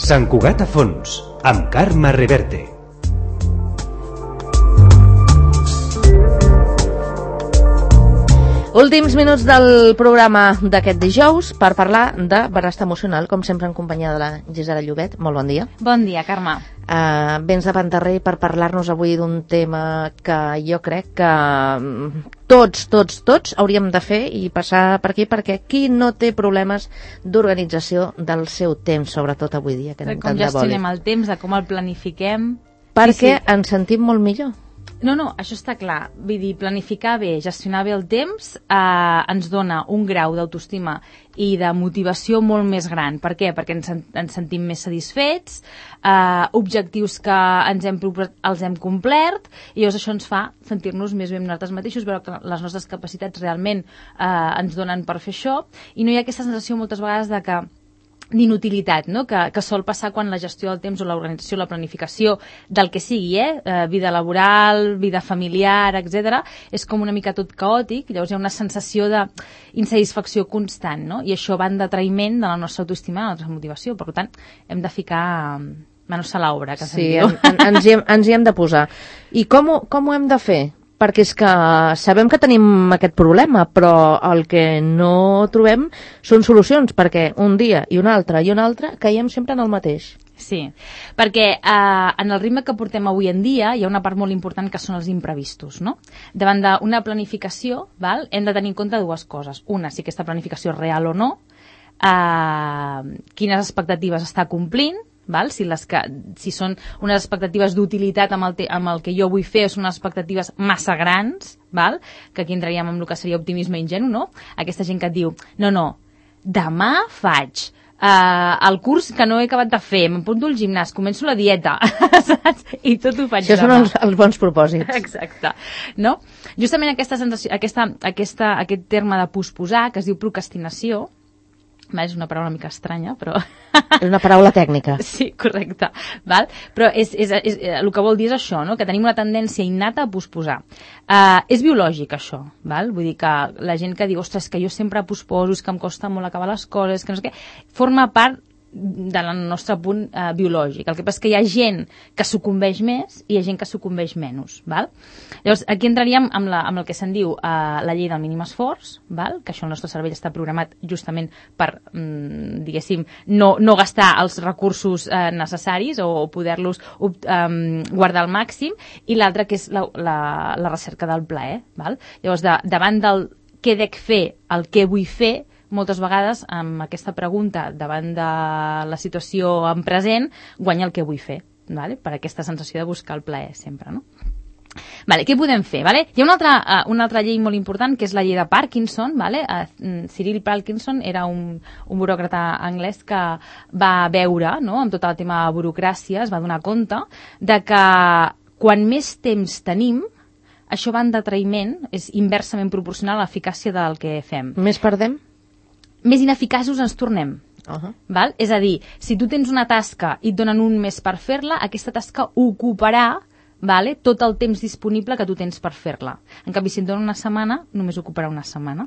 Sant Cugat a fons, amb Carme Reverte. Últims minuts del programa d'aquest dijous per parlar de benestar emocional, com sempre en companyia de la Gisela Llobet. Molt bon dia. Bon dia, Carme. Vens de Pantarré per parlar-nos avui d'un tema que jo crec que tots hauríem de fer i passar per aquí, perquè qui no té problemes d'organització del seu temps, sobretot avui dia, que anem tant de boli. Com gestionem el temps, de com el planifiquem. Perquè ens sentim molt millor. No, això està clar. Vull dir, planificar bé, gestionar bé el temps ens dona un grau d'autoestima i de motivació molt més gran. Per què? Perquè ens sentim més satisfets, objectius que els hem complert, i llavors això ens fa sentir-nos més bé amb nosaltres mateixos, veure que les nostres capacitats realment ens donen per fer això, i no hi ha aquesta sensació moltes vegades d'inutilitat, no? que sol passar quan la gestió del temps o l'organització, la planificació del que sigui, vida laboral, vida familiar, etc., és com una mica tot caòtic. Llavors hi ha una sensació d'insatisfacció constant, no? I això va en detraïment de la nostra autoestima i de la nostra motivació. Per tant, hem de ficar manos a l'obra, que se'n diu. Sí, ens hi hem de posar. I com ho hem de fer? Perquè és que sabem que tenim aquest problema, però el que no trobem són solucions, perquè un dia i un altre caiem sempre en el mateix. Sí, perquè en el ritme que portem avui en dia hi ha una part molt important que són els imprevistos, no? Davant d'una planificació, hem de tenir en compte dues coses. Una, si aquesta planificació és real o no, quines expectatives està complint, si són unes expectatives d'utilitat amb el que jo vull fer, o són unes expectatives massa grans, que aquí entraríem en el que seria optimisme ingenu, no? Aquesta gent que et diu, no, demà faig el curs que no he acabat de fer, m'apunto al gimnàs, començo la dieta, saps? I tot ho faig demà. Això són els bons propòsits. Exacte. No? Justament aquesta sensació, aquest terme de posposar, que es diu procrastinació, és una paraula una mica estranya, però... És una paraula tècnica. Sí, correcte. Però el que vol dir és això, no? Que tenim una tendència innata a posposar. És biològic, això. Vull dir que la gent que diu, ostres, que jo sempre posposo, és que em costa molt acabar les coses, que no sé què, forma part del nostre punt biològic. El que passa és que hi ha gent que sucumbeix més i hi ha gent que sucumbeix menys. Llavors, aquí entraríem amb el que se'n diu la llei del mínim esforç, que això el nostre cervell està programat justament per, diguéssim, no gastar els recursos necessaris o poder-los guardar al màxim, i l'altre que és la recerca del plaer. Llavors, davant del què dec fer, el què vull fer, moltes vegades amb aquesta pregunta davant de la situació en present guanya el que vull fer, per aquesta sensació de buscar el plaer sempre, no? Què podem fer? Hi ha una altra llei molt important, que és la llei de Parkinson. Cyril Parkinson era un buròcrata anglès que va veure, amb tot el tema de burocràcia, es va donar compte de que quan més temps tenim, això va en detraïment, és inversament proporcional a l'eficàcia del que fem. Més perdem? Més ineficaços ens tornem. És a dir, si tu tens una tasca i et donen un mes per fer-la, aquesta tasca ocuparà tot el temps disponible que tu tens per fer-la. En canvi, si et donen una setmana, només ocuparà una setmana.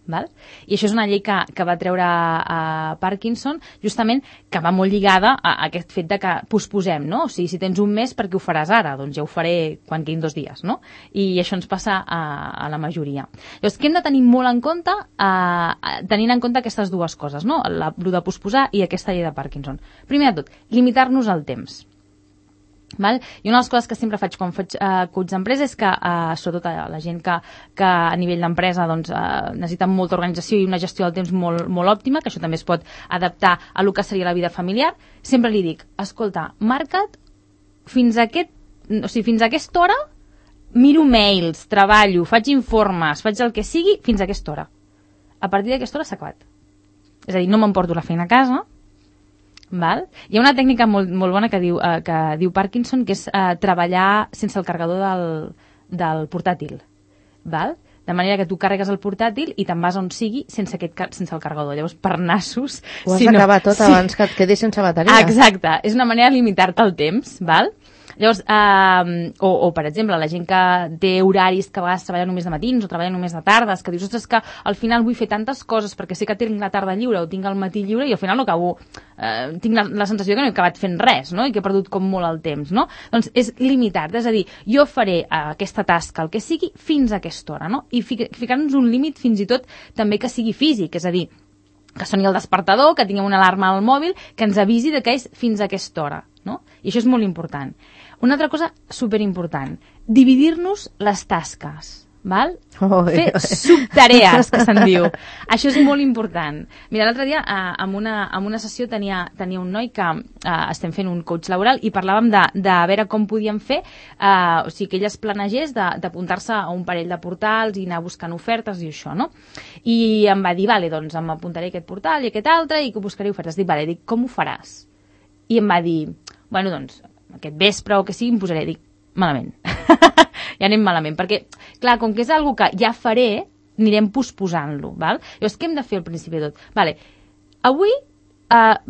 I això és una llei que va treure a Parkinson, justament que va molt lligada a aquest fet de que posposem, no? O sigui, si tens un mes, per què ho faràs ara? Doncs ja ho faré quan quedin 2 dies, no? I això ens passa a la majoria. Llavors, què hem de tenir molt en compte, tenint en compte aquestes dues coses, no? El de posposar i aquesta llei de Parkinson. Primer de tot, limitar-nos el temps. I una de les coses que sempre faig quan faig coach d'empresa és que, sobretot a la gent que a nivell d'empresa necessita molta organització i una gestió del temps molt òptima, que això també es pot adaptar a el que seria la vida familiar, sempre li dic, escolta, marca't fins a aquesta hora, miro mails, treballo, faig informes, faig el que sigui, fins a aquesta hora. A partir d'aquesta hora s'ha acabat. És a dir, no m'emporto la feina a casa. Hi ha una tècnica molt bona que diu Parkinson, que és treballar sense el carregador del portàtil. De manera que tu carregues el portàtil i te'n vas on sigui sense el carregador. Llavors, per nassos... Ho has d'acabar tot abans que et quedis sense bateria. Exacte. És una manera de limitar-te el temps. Llavors, o per exemple, la gent que té horaris que a vegades treballa només de matins o treballa només de tardes, que dius, ostres, que al final vull fer tantes coses perquè sé que tinc la tarda lliure o tinc el matí lliure i al final no acabo, tinc la sensació que no he acabat fent res, no? I que he perdut com molt el temps, no? Doncs és limitar, és a dir, jo faré aquesta tasca, el que sigui, fins a aquesta hora, no? I ficar-nos un límit fins i tot també que sigui físic, és a dir, que soni el despertador, que tinguem una alarma al mòbil, que ens avisi de que és fins a aquesta hora, no? I això és molt important. Una altra cosa superimportant, dividir-nos les tasques, val? Fer subtarees, que se'n diu. Això és molt important. Mira, l'altre dia, en una sessió tenia un noi que estem fent un coach laboral i parlàvem de veure com podíem fer, o sigui, que ell es planegés d'apuntar-se a un parell de portals i anar buscant ofertes i això, no? I em va dir, vale, doncs m'apuntaré a aquest portal i a aquest altre i que buscaré ofertes. Dic, vale, com ho faràs? I em va dir, bueno, doncs, aquest vespre o que sigui, em posaré. Dic, malament. Ja anem malament, perquè, clar, com que és algo que ja faré, anirem posposant-lo, val? Llavors, què hem de fer al principi de tot? Vale, avui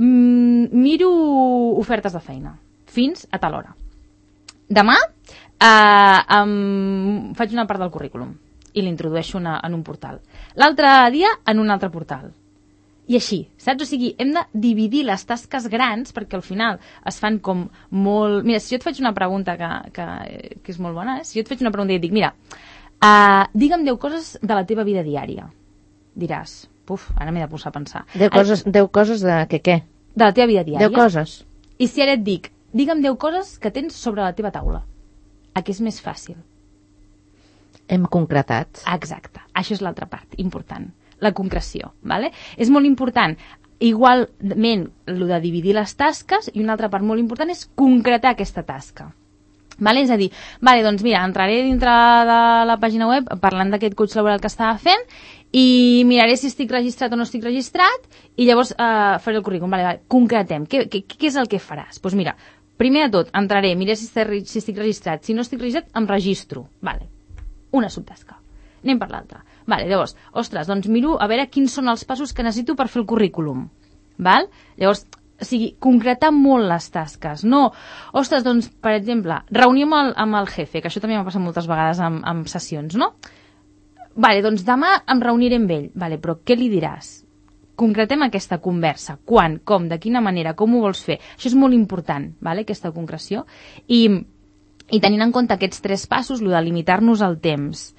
miro ofertes de feina, fins a tal hora. Demà faig una part del currículum i l'introdueixo en un portal. L'altre dia, en un altre portal. I així, saps? O sigui, hem de dividir les tasques grans perquè al final es fan com molt... Mira, si jo et faig una pregunta que és molt bona, si jo et faig una pregunta i et dic, mira, digue'm 10 coses de la teva vida diària. Diràs, puf, ara m'he de posar a pensar. 10 coses de què? De la teva vida diària. 10 coses. I si ara et dic, digue'm 10 coses que tens sobre la teva taula. A què és més fàcil? Hem concretat. Exacte, això és l'altra part important. La concreció, ¿vale? És molt important, igualment, el de dividir les tasques, i una altra part molt important és concretar aquesta tasca. ¿Vale? És a dir, vale, doncs mira, entraré dintre de la pàgina web parlant d'aquest coach laboral que estava fent i miraré si estic registrat o no estic registrat i llavors faré el currículum. Vale, concretem, què és el que faràs? Doncs mira, primer de tot, entraré, miraré si estic registrat. Si no estic registrat, em registro. Vale, una subtasca. Anem per l'altra. Vale, llavors, ostres, doncs miro a veure quins són els passos que necessito per fer el currículum. Val? Llavors, o sigui, concretar molt les tasques. No, ostres, doncs, per exemple, reunió amb el jefe, que això també m'ha passat moltes vegades amb sessions, no? Vale, doncs demà em reuniré amb ell. Vale, però què li diràs? Concretem aquesta conversa. Quan, com, de quina manera, com ho vols fer? Això és molt important, vale, aquesta concreció. I tenint en compte aquests 3 passos, el de limitar-nos el temps,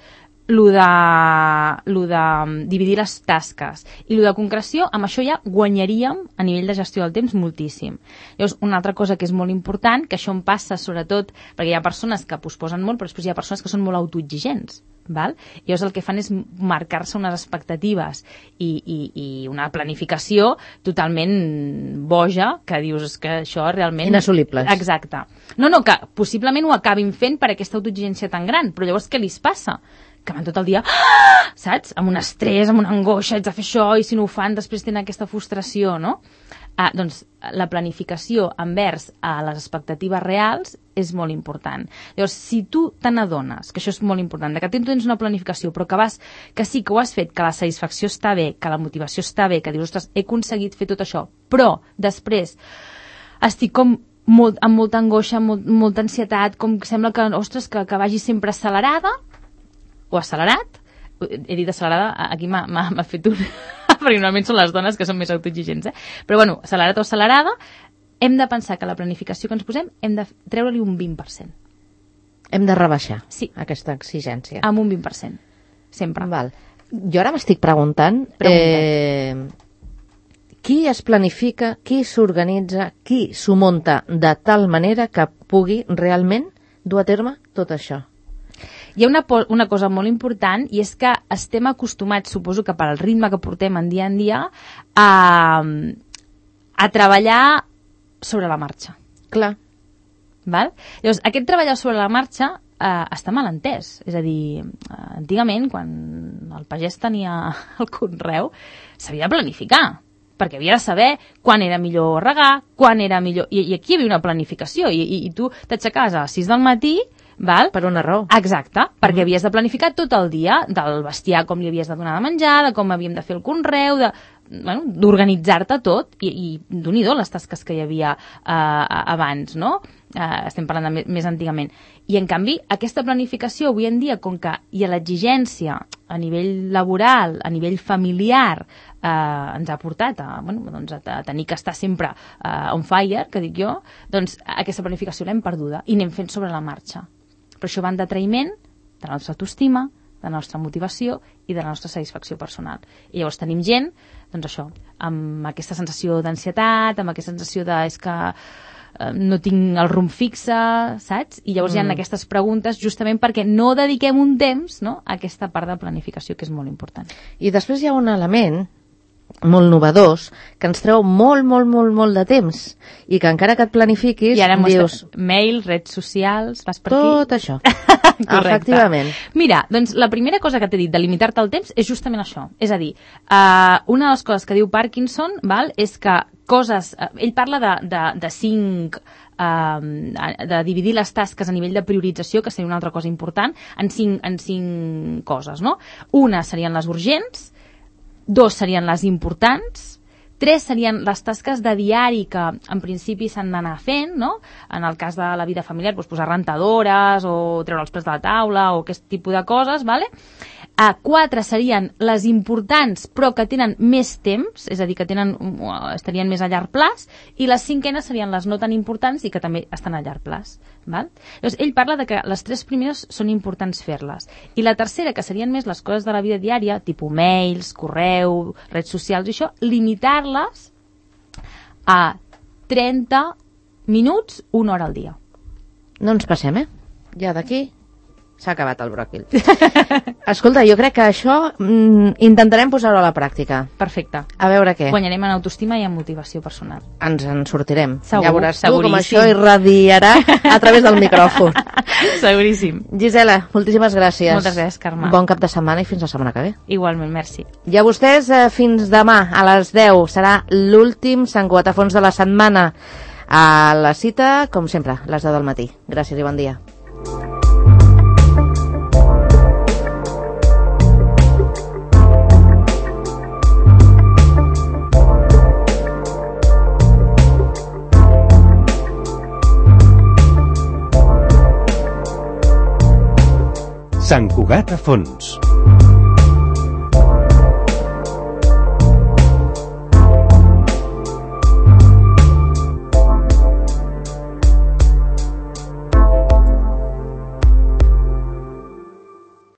lo de dividir les tasques i lo de concreció, amb això ja guanyaríem a nivell de gestió del temps moltíssim. Llavors, una altra cosa que és molt important, que això em passa sobretot perquè hi ha persones que posposen molt, però després hi ha persones que són molt autoexigents, val? I llavors el que fan és marcar-se unes expectatives i una planificació totalment boja, que dius, és que això realment... Inassolibles. Exacte. No, que possiblement ho acabin fent per aquesta autoexigència tan gran, però llavors què li passa? Que van tot el dia, saps? Amb un estrès, amb una angoixa, haig de fer això, i si no ho fan, després tenen aquesta frustració, no? Doncs la planificació envers a les expectatives reals és molt important. Llavors, si tu te n'adones, que això és molt important, que tens una planificació, però que sí que ho has fet, que la satisfacció està bé, que la motivació està bé, que dius, ostres, he aconseguit fer tot això, però després estic com amb molta angoixa, amb molta ansietat, com que sembla que, ostres, que vagi sempre accelerada, o accelerat, he dit accelerada, aquí m'ha fet un... perquè normalment són les dones que són més autoexigents, però bueno, accelerat o accelerada, hem de pensar que la planificació que ens posem hem de treure-li un 20%. Hem de rebaixar aquesta exigència. Amb un 20%, sempre. Val. Jo ara m'estic preguntant qui es planifica, qui s'organitza, qui s'ho munta de tal manera que pugui realment dur a terme tot això. Hi ha una cosa molt important i és que estem acostumats, suposo que per al ritme que portem en dia, a treballar sobre la marxa. Clar. Val? Llavors, aquest treballar sobre la marxa està mal entès. És a dir, antigament, quan el pagès tenia el conreu, s'havia de planificar, perquè havia de saber quan era millor regar, quan era millor... I aquí hi havia una planificació, i tu t'aixecaves a les 6 del matí, val? Per una raó. Exacte, perquè havies de planificar tot el dia, del bestiar, com li havies de donar de menjar, de com havíem de fer el conreu, d'organitzar-te tot, i Déu-n'hi-do les tasques que hi havia abans, no? estem parlant de més antigament. I, en canvi, aquesta planificació avui en dia, com que hi ha l'exigència a nivell laboral, a nivell familiar, ens ha portat a tenir que estar sempre on fire, que dic jo, doncs aquesta planificació l'hem perduda i anem fent sobre la marxa. Però això va en detraïment de la nostra autoestima, de la nostra motivació i de la nostra satisfacció personal. I llavors tenim gent, doncs això, amb aquesta sensació d'ansietat, amb aquesta sensació de és que no tinc el rumb fixe, saps? I llavors hi ha aquestes preguntes justament perquè no dediquem un temps, no?, a aquesta part de planificació que és molt important. I després hi ha un element molt novedós, que ens treu molt de temps i que encara que et planifiquis, i ara dius... Mail, redes socials, vas per aquí... Tot això. Efectivament. Mira, doncs la primera cosa que t'he dit de limitar-te el temps és justament això. És a dir, una de les coses que diu Parkinson, és que coses... Ell parla de 5... de dividir les tasques a nivell de priorització, que seria una altra cosa important, en 5 coses, no? Una serien les urgents, 2 serien les importants, 3 serien les tasques de diari que en principi s'han d'anar fent, no? En el cas de la vida familiar, doncs posar rentadores o treure els plats de la taula o aquest tipus de coses, ¿vale? 4 serien les importants però que tenen més temps, és a dir, que estarien més a llarg plaç, i les 5enes serien les no tan importants i que també estan a llarg plaç. Val? Llavors, ell parla de que les 3 primeres són importants fer-les. I la tercera, que serien més les coses de la vida diària, tipus mails, correu, redes socials i això, limitar-les a 30 minuts, 1 hora al dia. No ens passem, Ja d'aquí s'ha acabat el bròquil. Escolta, jo crec que això intentarem posar-ho a la pràctica. Perfecte. A veure què. Guanyarem en autoestima i en motivació personal. Ens en sortirem. Segur, ja veuràs tu seguríssim. com això irradiarà a través del micròfon. Seguríssim. Gisela, moltíssimes gràcies. Moltes gràcies, Carme. Bon cap de setmana i fins la setmana que ve. Igualment, merci. I a vostès, fins demà a les 10 serà l'últim Sant Cuatafons de la setmana. A la cita, com sempre, a les 10 del matí. Gràcies i bon dia. Sant Cugat a Fons.